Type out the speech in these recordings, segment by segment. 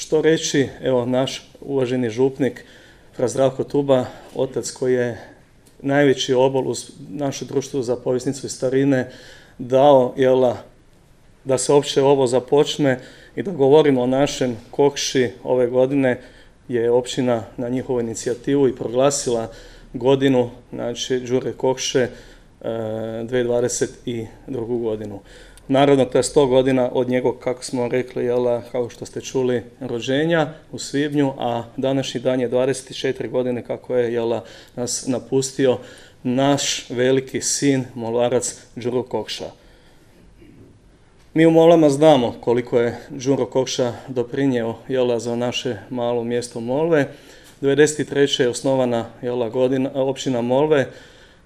što reći, evo naš uvaženi župnik fra Zdravko Tuba, otac koji je najveći obol u naše društvo za povjesnicu i starine dao, da se uopće ovo započne i da govorimo o našem Kokši. Ove godine je općina na njihovu inicijativu i proglasila godinu, znači Đure Kokše 2022. godinu. Naravno, to je 100 godina od njegovog, kako smo rekli, kao što ste čuli, rođenja u svibnju, a današnji dan je 24 godine kako je nas napustio naš veliki sin, molvarac Đuro Kokša. Mi u Molvama znamo koliko je Đuro Kokša doprinjeo za naše malo mjesto Molve. 1993. je osnovana općina Molve.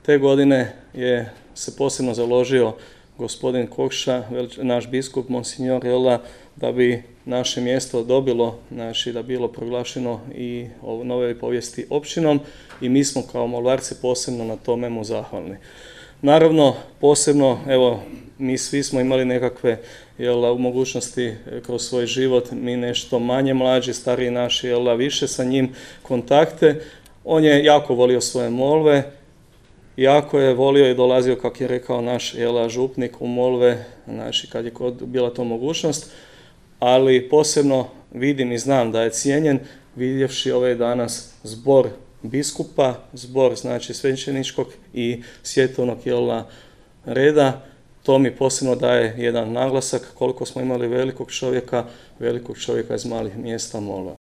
Te godine je se posebno založio gospodin Kokša, naš biskup, monsignor, da bi naše mjesto dobilo, znači da bilo proglašeno i u novoj povijesti općinom, i mi smo kao Molvarci posebno na tome mu zahvalni. Naravno, posebno, mi svi smo imali nekakve mogućnosti kroz svoj život, mi nešto manje mlađi, stariji naši, više sa njim kontakte. On je jako volio svoje Molve, jako je volio i dolazio, kako je rekao naš župnik, u Molve, znači kad je bila to mogućnost, ali posebno vidim i znam da je cijenjen vidjevši ovaj danas zbor biskupa, zbor znači svećeničkog i svjetovnog reda. To mi posebno daje jedan naglasak koliko smo imali velikog čovjeka iz malih mjesta Molva.